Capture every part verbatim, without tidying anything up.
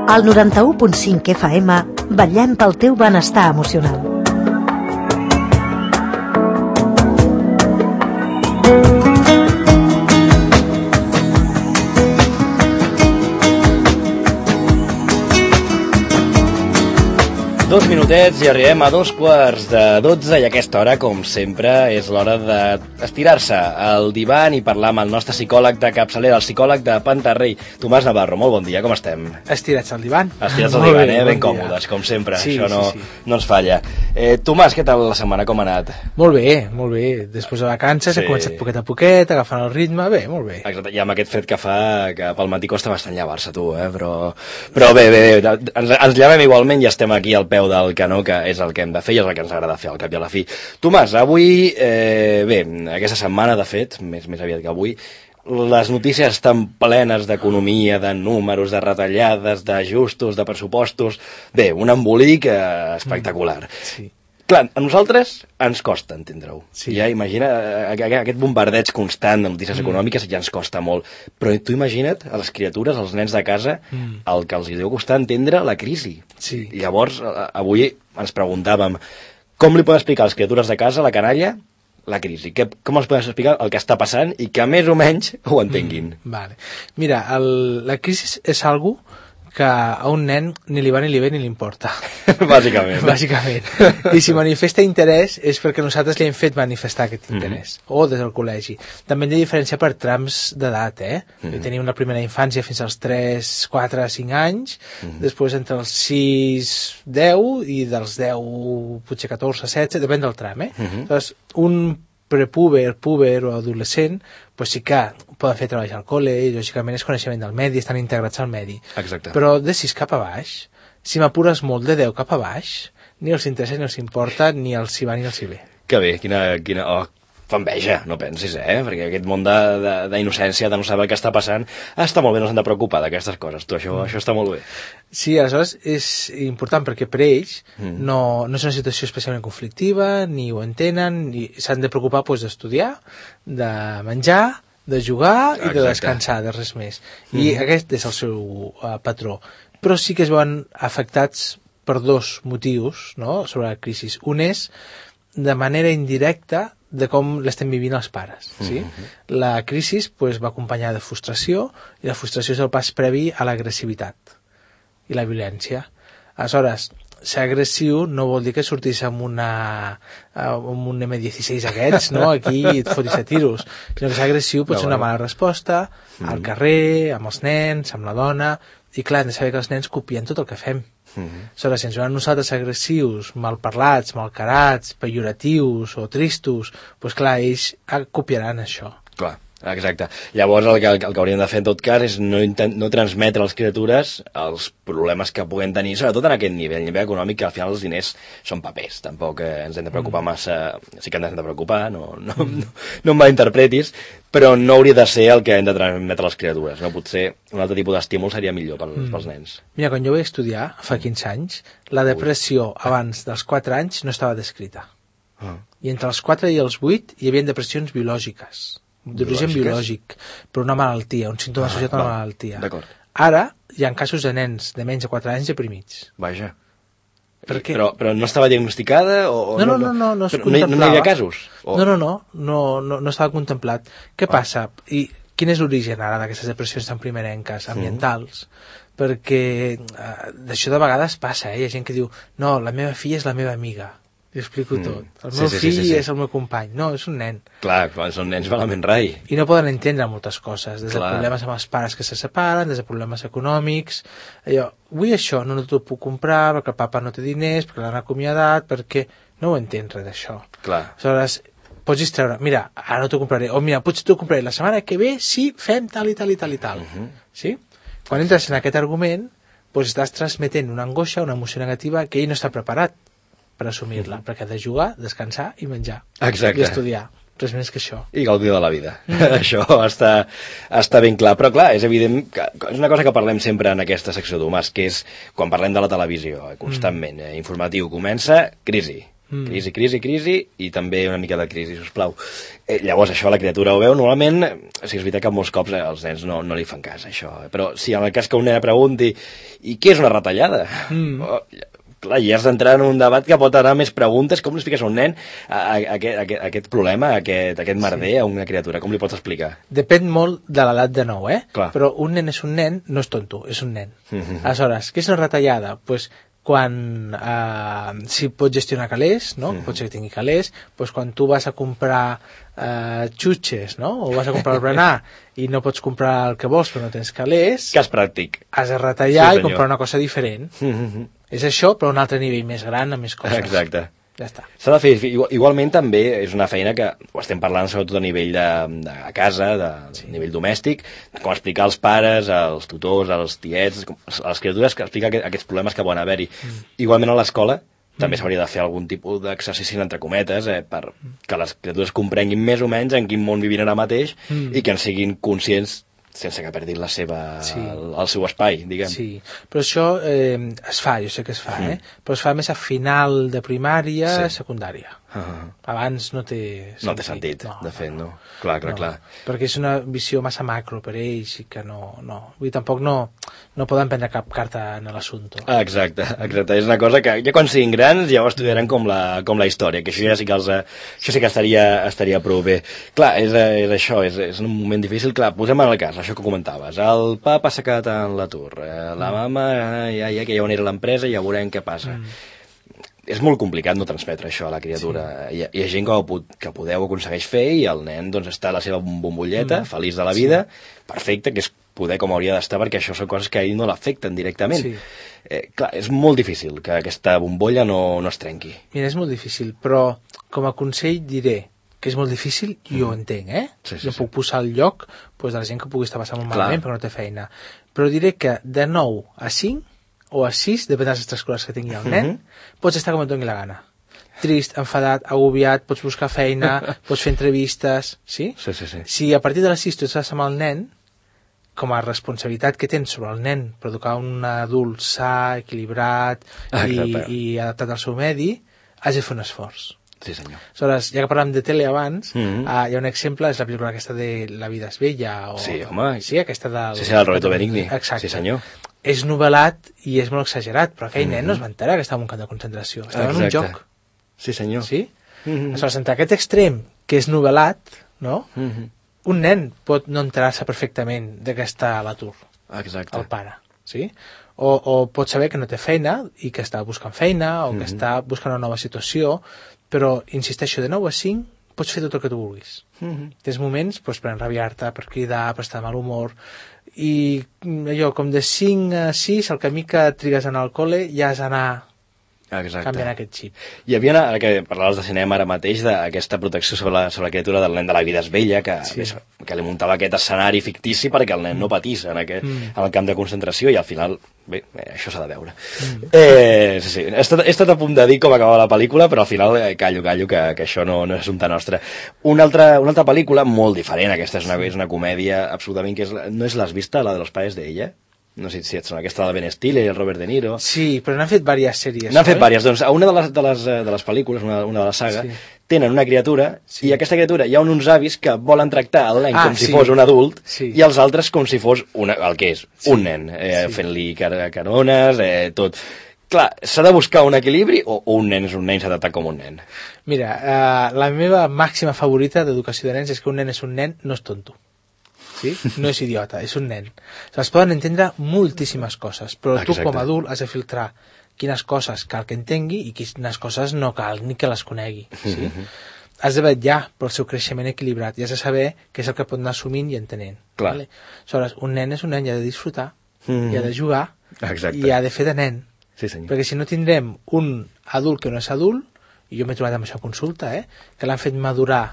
Al noranta-u punt cinc F M, vetllem pel teu benestar emocional. Dos minutets i arribem a dos quarts de dotze i a aquesta hora, com sempre, és l'hora d'estirar-se al divan i parlar amb el nostre psicòleg de capçalera, el psicòleg de Pantarrei, Tomàs Navarro. Molt bon dia, com estem? Estirats al divan. Estirats al divan, eh? Ben còmodes, com sempre. Sí, Això no, sí, sí. no ens falla. Eh, Tomàs, què tal la setmana, com ha anat? Molt bé, molt bé. Després de vacances Sí. he començat poquet a poquet, agafant el ritme, bé, molt bé. Exacte, i amb aquest fred que fa, que pel matí costa bastant llevar-se, tu, eh? Però, però bé, bé, bé, ens, ens llevem igualment i estem aquí al peu del canó, que és el que hem de fer i és el que ens agrada fer al cap i a la fi. Tomàs, avui, eh, bé, aquesta setmana, de fet, més, més aviat que avui, les notícies estan plenes d'economia, de números, de retallades, d'ajustos, de pressupostos. Bé, un embolic eh, espectacular. Sí. Clar, a nosaltres ens costa entendre-ho. Sí. Ja imagina, eh, aquest bombardeig constant de notícies mm. econòmiques ja ens costa molt. Però tu imagina't a les criatures, als nens de casa, mm. el que els deu costar entendre la crisi. Sí. I llavors, avui ens preguntàvem com li poden explicar a les criatures de casa, la canalla, la crisi? Que, com els poden explicar el que està passant i que més o menys ho entenguin? Mm, vale. Mira, el, la crisi és algo que a un nen ni li va ni li ve ni li importa. Bàsicament. Bàsicament. I si manifesta interès és perquè nosaltres li hem fet manifestar aquest interès. Mm-hmm. O des del col·legi. També hem de diferenciar per trams d'edat, eh? Mm-hmm. Tenim la primera infància fins als tres, quatre, cinc anys, mm-hmm. després entre els sis, deu, i dels deu, potser catorze, setze, depèn del tram, eh? Mm-hmm. Llavors, un prepúber, púber o adolescent, pues sí que poden fer treballs al col·le i lògicament és coneixement del medi, estan integrats al medi. Exacte. Però de sis cap a baix, si m'apures molt de deu cap a baix, ni els interessa ni els importa, ni els hi va ni els hi ve. Que bé, quina... quina... Oh, fa enveja, no pensis, eh? Perquè aquest món d'innocència, de, de, de no saber què està passant, està molt bé, no s'han de preocupar d'aquestes coses. Tu, això, mm. això està molt bé. Sí, aleshores és important perquè per ells mm. no, no és una situació especialment conflictiva, ni ho entenen, ni s'han de preocupar pues, d'estudiar, de menjar, de jugar i de descansar, de res més. I mm. aquest és el seu uh, patró. Però sí que es veuen afectats per dos motius, no?, sobre la crisi. Un és de manera indirecta de com l'estem vivint els pares. Sí? Mm-hmm. La crisi pues, va acompanyar de frustració, i la frustració és el pas previ a l'agressivitat i la violència. Aleshores, ser agressiu no vol dir que sortis amb, una, amb un eme disset aquests, no? Aquí i et fotis a tiros. Sinó que ser agressiu pot ser una mala resposta mm-hmm. al carrer, amb els nens, amb la dona, i clar, hem de saber que els nens copien tot el que fem. Mm-hmm. Aleshores, si ens veuen nosaltres agressius, malparlats, malcarats, pejoratius o tristos, doncs clar, ells copiaran això. Clar, exacte. Llavors el que, el que hauríem de fer en tot cas és no, intent, no transmetre a les criatures els problemes que puguen tenir, sobretot en aquest nivell, nivell econòmic, que al final els diners són papers, tampoc eh, ens hem de preocupar mm. massa, sí que ens hem de preocupar, no, no, mm. no, no em malinterpretis, però no hauria de ser el que hem de transmetre a les criatures, no? Potser un altre tipus d'estímul seria millor pels, mm. pels nens. Mira, quan jo vaig estudiar, fa quinze anys, la depressió abans dels quatre anys no estava descrita. Ah. I entre els quatre i els vuit hi havia depressions biològiques, d'origen biològic, per una malaltia, un símptoma ah, associat a una malaltia. Ara hi ha casos de nens de menys de quatre anys deprimits. Vaja. Per què? Però, però no estava diagnosticada? O, no, no, no, no, no es no, contemplava. No hi havia casos? O... No, no, no, no, no, no estava contemplat. Què ah. passa? I quin és l'origen ara d'aquestes depressions tan primerenques, ambientals? Mm. Perquè eh, d'això de vegades passa, eh? Hi ha gent que diu, no, la meva filla és la meva amiga. Li explico mm. tot. El meu sí, sí, fill sí, sí, sí. és el meu company. No, és un nen. Clar, quan són nens malament rai. I no poden entendre moltes coses, des de Clar. problemes amb els pares que se separen, des de problemes econòmics. Allò, vull això, no, no t'ho puc comprar perquè el papa no té diners, perquè l'han acomiadat, perquè no ho entén res d'això. Clar. Aleshores, pots distreure, mira, ara no t'ho compraré, o mira, potser t'ho compraré la setmana que ve si fem tal i tal i tal i tal. Uh-huh. Sí? Quan entres en aquest argument, doncs estàs transmetent una angoixa, una emoció negativa que ell no està preparat per assumir-la, perquè ha de jugar, descansar i menjar. Exacte. I estudiar. Res més que això. I gaudir de la vida. Mm. Això està, està ben clar. Però clar, és evident que és una cosa que parlem sempre en aquesta secció, Tomàs, que és quan parlem de la televisió, constantment, mm. eh, informatiu, comença crisi. Mm. Crisi, crisi, crisi, i també una mica de crisi, sisplau. Eh, llavors, això la criatura ho veu, normalment, o sigui, és veritat que molts cops eh, els nens no, no li fan cas, això. Eh? Però si en el cas que un nen pregunti i què és una retallada? Mm. Oh, clar, ja has d'entrar en un debat que pot anar més preguntes. Com li expliques a un nen a, a, a, aquest, a, aquest, a aquest problema, a aquest, a aquest merder, sí. a una criatura? Com li pots explicar? Depèn molt de l'edat de nou, eh? Clar. Però un nen és un nen, no és tonto, és un nen. Mm-hmm. Aleshores, què és una retallada? Doncs pues, quan eh, si pot gestionar calés, no? Mm. Pot ser que tingui calés, doncs quan tu vas a comprar eh, xutxes, no? O vas a comprar el berenar i no pots comprar el que vols però no tens calés, cas pràctic, has de retallar sí, i comprar una cosa diferent. Mm-hmm. És això, però a un altre nivell més gran, amb més coses. Exacte. Ja està. S'ha de fer, igualment també és una feina que ho estem parlant sobretot a nivell de, de casa, de sí. nivell domèstic, com explicar als pares, als tutors, als tiets, a les criatures, que explicar aquests problemes que poden haver-hi. Mm. Igualment a l'escola també s'hauria de fer algun tipus d'exercici entre cometes eh, per que les criatures comprenguin més o menys en quin món vivint ara mateix mm. i que en siguin conscients sense que perdin la seva, sí. el, el seu espai, diguem. Sí, però això eh, es fa, jo sé que es fa, mm. eh? Però es fa més a final de primària, sí. secundària. Uh -huh. Abans no té sentit. No té sentit, no, de fet, no. no. Clar, clar, no, clar. Perquè és una visió massa macro per ells i que no... no. Vull dir, tampoc no, no poden prendre cap carta en l'assumpte. Ah, exacte, exacte. És una cosa que ja quan siguin grans ja ho estudiaran com la, com la història, que això ja sí que, els, això sí que estaria, estaria prou bé. Clar, és, és això, és, és un moment difícil. Clar, posem en el cas, això que comentaves. El papa s'ha quedat en l'atur. La mama, ja, ja que ja on era l'empresa, ja veurem què passa. Mm. És molt complicat no transmetre això a la criatura. Sí. Hi, ha, hi ha gent que, ho, que podeu aconsegueix fer i el nen doncs, està a la seva bombolleta, mm. feliç de la vida, sí. perfecte, que és poder com hauria d'estar, perquè això són coses que a ell no l'afecten directament. Sí. Eh, clar, és molt difícil que aquesta bombolla no, no es trenqui. Mira, és molt difícil, però com a consell diré que és molt difícil i mm. ho entenc, eh? Sí, sí, jo sí. puc posar al lloc pues, de la gent que pugui estar passant molt malament perquè no té feina. Però diré que de nou a cinc o a sis, depèn de les extraescolars que tingui el nen, uh -huh. pots estar com et doni la gana. Trist, enfadat, agobiat, pots buscar feina, pots fer entrevistes, sí? Sí, sí, sí. Si a partir de les sis tu estàs amb el nen, com a responsabilitat que tens sobre el nen per educar un adult sa, equilibrat ah, i, i adaptat al seu medi, has de fer un esforç. Sí, senyor. Aleshores, ja que parlàvem de tele abans, mm -hmm. uh, hi ha un exemple, és la pel·lícula aquesta de La vida és bella. O, sí, home. Sí, aquesta del... Sí, sí, del Roberto Benigni. Exacte. Sí, senyor. És novel·lat i és molt exagerat, però aquell mm -hmm. nen no es va enterar que estava en un camp de concentració. Estava Exacte. en un joc. Sí, senyor. Sí? Mm -hmm. Aleshores, entre aquest extrem, que és novel·lat, no? Mm -hmm. Un nen pot no enterar-se perfectament de que està a l'atur. Exacte. El pare, sí? O, o pot saber que no té feina i que està buscant feina o que mm -hmm. està buscant una nova situació, però, insisteixo, de nou a cinc pots fer tot el que tu vulguis. Mm -hmm. Tens moments doncs, per enrabiar-te, per cridar, per estar de mal humor, i allò, com de cinc a sis, el camí que trigues a anar al col·le ja has d'anar canviant aquest xip. Hi havia, ara que parlaves de cinema ara mateix, d'aquesta protecció sobre la, sobre la criatura del nen de La vida és bella, que, sí. que li muntava aquest escenari fictici perquè el nen mm. no patís en, aquest, mm. en el camp de concentració, i al final, bé, això s'ha de veure. Mm. Eh, sí, sí, he estat, he estat a punt de dir com acabava la pel·lícula, però al final eh, callo, callo, que, que això no, no és assumpte nostre. Una altra, una altra pel·lícula molt diferent, aquesta és una, és una comèdia absolutament que és, no és l'has vista, la de los padres de ella? No sé si et sona, aquesta de Ben Stiller i el Robert De Niro. Sí, però n'han fet diverses sèries. N'han fet diverses. Doncs a una de les, de les, de les pel·lícules, una, una de la saga, sí. tenen una criatura, sí. i aquesta criatura hi ha uns avis que volen tractar el nen ah, com si sí. fos un adult, sí. i els altres com si fos una, el que és, sí. un nen, eh, sí. fent-li car carones, eh, tot. Clar, s'ha de buscar un equilibri o un nen és un nen i s'ha de tractar com un nen? Mira, eh, la meva màxima favorita d'educació de nens és que un nen és un nen, no és tonto. Sí? No és idiota, és un nen. Es poden entendre moltíssimes coses, però tu Exacte. com a adult has de filtrar quines coses cal que entengui i quines coses no cal ni que les conegui. Sí? Mm-hmm. Has de vetllar pel seu creixement equilibrat i has de saber què és el que pot anar assumint i entenent. Clar. Vale? Aleshores, un nen és un nen i ha de disfrutar, mm-hmm. i ha de jugar, Exacte. i ha de fer de nen. Sí, senyor. Perquè si no tindrem un adult que no és adult, i jo m'he trobat amb això a consulta, eh, que l'han fet madurar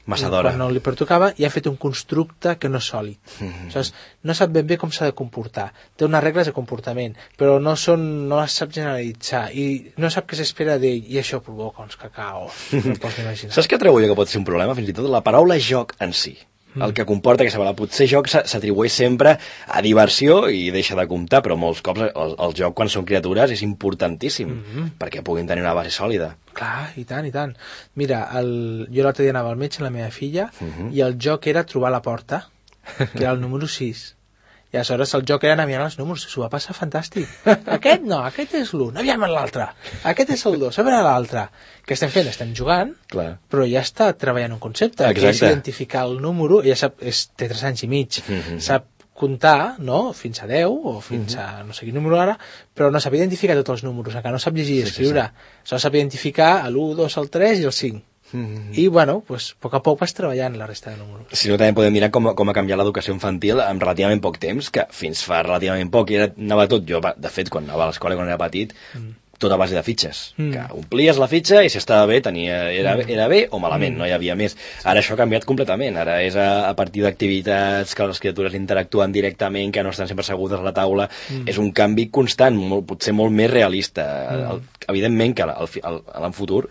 massa d'hora. Quan no li pertocava, i ha fet un constructe que no és sòlid. Mm-hmm. Aleshores, no sap ben bé com s'ha de comportar. Té unes regles de comportament, però no són, no les sap generalitzar, i no sap què s'espera d'ell, i això provoca uns cacaos. No pots imaginar. Saps què trobo jo que pot ser un problema? Fins i tot la paraula joc en si. Mm. El que comporta que potser el joc s'atribueix sempre a diversió i deixa de comptar, però molts cops el, el joc, quan són criatures, és importantíssim mm -hmm. perquè puguin tenir una base sòlida. Clar, i tant, i tant. Mira, el... jo l'altre dia anava al metge, la meva filla, mm -hmm. i el joc era trobar la porta, que era el número sis. I aleshores el joc era anar mirant els números, s'ho va passar fantàstic. Aquest no, aquest és l'un, aviam l'altre. Aquest és el dos, a veure l'altre. Què estem fent? Estem jugant, Clar. però ja està treballant un concepte, Exacte. que és identificar el número, ja sap, és, té tres anys i mig, mm-hmm. sap comptar, no?, fins a deu, o fins mm-hmm. a no sé quin número ara, però no sap identificar tots els números, encara no sap llegir i escriure. Sí, sí, sí. Só sap identificar l'u, dos, el tres i el cinc. Mm-hmm. I, bueno, pues, a poc a poc vas treballant la resta de números. Si no, també podem mirar com, com ha canviat l'educació infantil en relativament poc temps, que fins fa relativament poc era, anava tot, jo, de fet, quan anava a l'escola, quan era petit, mm. tot a base de fitxes, mm. que omplies la fitxa i si estava bé, tenia, era, mm. era bé o malament, mm. no hi havia més. Ara això ha canviat completament, ara és a, a partir d'activitats que les criatures interactuen directament, que no estan sempre assegudes a la taula, mm. és un canvi constant, molt, potser molt més realista. Mm. El, evidentment que en futur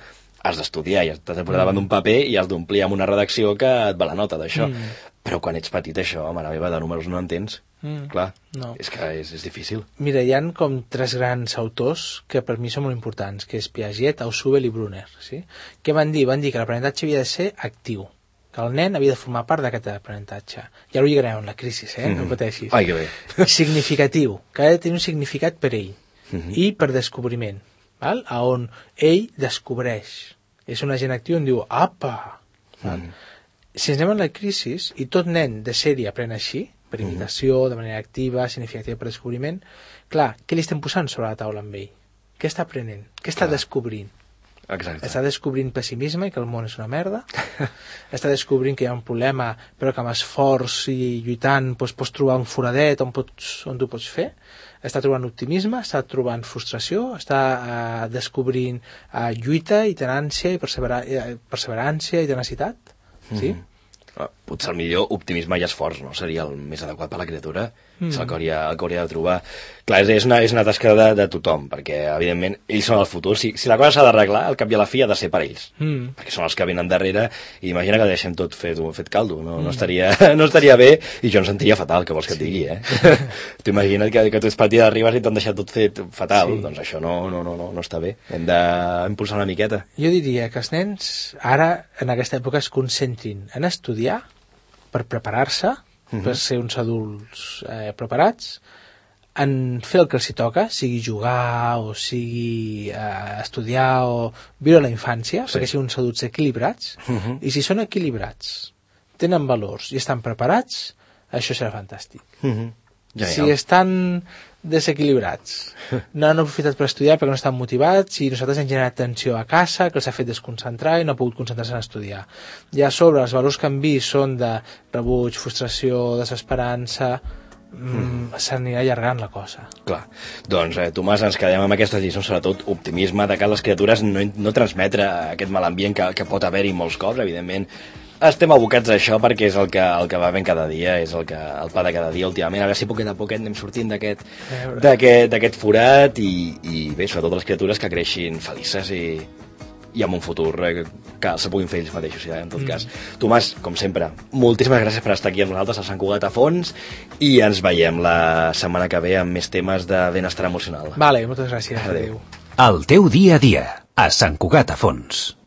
has d'estudiar i t'has de posar davant d'un paper i has d'omplir amb una redacció que et va la nota d'això. Mm. Però quan ets petit això, mare meva, de números no entens. Mm. Clar, no. és que és, és difícil. Mira, hi ha com tres grans autors que per mi són molt importants, que és Piaget, Ausubel i Brunner. Sí? Què van dir? Van dir que l'aprenentatge havia de ser actiu, que el nen havia de formar part d'aquest aprenentatge. Ja ho lligarem amb la crisi, eh? Mm. No pateixis. Ai, que bé. Significatiu, que ha de tenir un significat per ell mm-hmm. i per descobriment, val? A on ell descobreix. És un agent actiu on diu, apa! Mm. Si ens anem a la crisi i tot nen de sèrie aprèn així, per imitació, mm. de manera activa, significativa per descobriment, clar, què li estem posant sobre la taula amb ell? Què està aprenent? Què està clar. descobrint? Exacte. Està descobrint pessimisme i que el món és una merda. Està descobrint que hi ha un problema, però que amb esforç i lluitant doncs, pots trobar un foradet on, pots, on tu pots fer. Està trobant optimisme, està trobant frustració, està uh, descobrint uh, lluita i tenància i persevera uh, perseverància i tenacitat. Mm-hmm. Sí? Potser el millor optimisme i esforç, no? Seria el més adequat per a la criatura. Mm. És el que, hauria, el que hauria de trobar. Clar, és una, és una tasca de, de tothom, perquè, evidentment, ells són el futur. Si, si la cosa s'ha d'arreglar, al cap i a la fi ha de ser per ells. Mm. Perquè són els que venen darrere, i imagina que deixem tot fet, fet caldo. No, mm. no, estaria, no estaria bé, i jo em sentiria fatal, que vols que et digui, eh? Tu imagina't que, que tu ets partida d'arribes i t'han deixat tot fet fatal. Sí. Doncs això no, no, no, no, no està bé. Hem d'impulsar una miqueta. Jo diria que els nens, ara, en aquesta època, es concentrin en estudiar per preparar-se, uh-huh. per ser uns adults eh, preparats, en fer el que els hi toca, sigui jugar o sigui eh, estudiar o viure la infància, sí. perquè siguin uns adults equilibrats, uh-huh. i si són equilibrats, tenen valors i estan preparats, això serà fantàstic. Uh-huh. Ja, ja. Si estan desequilibrats, no han aprofitat per estudiar perquè no estan motivats i nosaltres hem generat tensió a casa que els ha fet desconcentrar i no ha pogut concentrar-se en estudiar. I a sobre els valors que han vist són de rebuig, frustració, desesperança, mm. s'anirà allargant la cosa. Clar, doncs eh, Tomàs, ens quedem amb aquestes lliçons, sobretot optimisme de que les criatures no, no transmetre aquest mal ambient que, que pot haver-hi molts cops, evidentment. Estem abocats a això perquè és el que, el que va ben cada dia, és el, que, el pa de cada dia últimament, a veure si poquet a poquet anem sortint d'aquest d'aquest forat i, i bé, sobretot les criatures que creixin felices i, i amb un futur eh, que se puguin fer ells mateixos, ja, en tot mm. cas. Tomàs, com sempre, moltíssimes gràcies per estar aquí amb nosaltres a Sant Cugat a Fons i ens veiem la setmana que ve amb més temes de benestar emocional. Vale, moltes gràcies. Adéu. El teu dia a dia, a Sant Cugat a Fons.